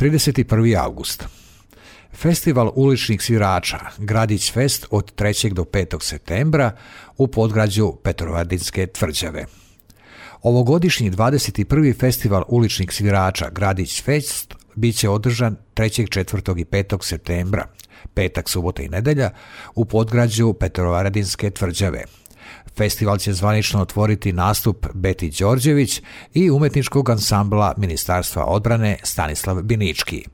31. august. Festival uličnih svirača Gradić Fest od 3. do 5. septembra u podgrađu Petrovaradinske tvrđave. Ovogodišnji 21. festival uličnih svirača Gradić Fest bit će održan 3., 4. i 5. septembra, petak, subota i nedjelja, u podgrađu Petrovaradinske tvrđave. Festival će zvanično otvoriti nastup Beti Đorđević i umjetničkog ansambla Ministarstva odbrane Stanislav Binički.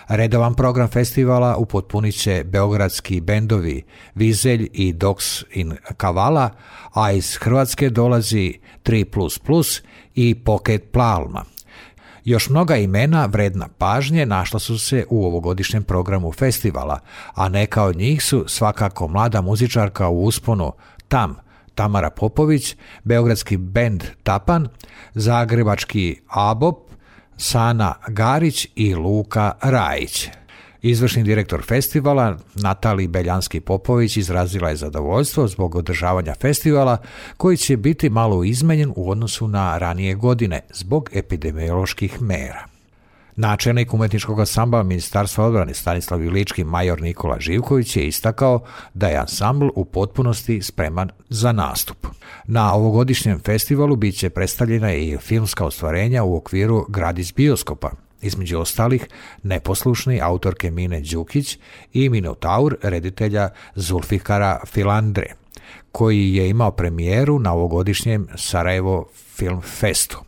Redovan program festivala upotpunit će beogradski bendovi Vizelj i Dogs in Kavala, a iz Hrvatske dolazi 3++ i Pocket Palma. Još mnoga imena vredna pažnje našla su se u ovogodišnjem programu festivala, a neka od njih su svakako mlada muzičarka u usponu Tamara Popović, beogradski bend Tapan, zagrebački ABOP, Sana Garić i Luka Rajić. Izvršni direktor festivala Natalija Beljanski-Popović izrazila je zadovoljstvo zbog održavanja festivala koji će biti malo izmenjen u odnosu na ranije godine zbog epidemioloških mera. Načelnik umjetničkog ansambla Ministarstva odbrane Stanislav Binički major Nikola Živković je istakao da je ansambl u potpunosti spreman za nastup. Na ovogodišnjem festivalu bit će predstavljena i filmska ostvarenja u okviru Gradić bioskopa, između ostalih Neposlušni autorke Mine Đukić i Minotaur reditelja Zulfikara Filandre, koji je imao premijeru na ovogodišnjem Sarajevo Film Festu.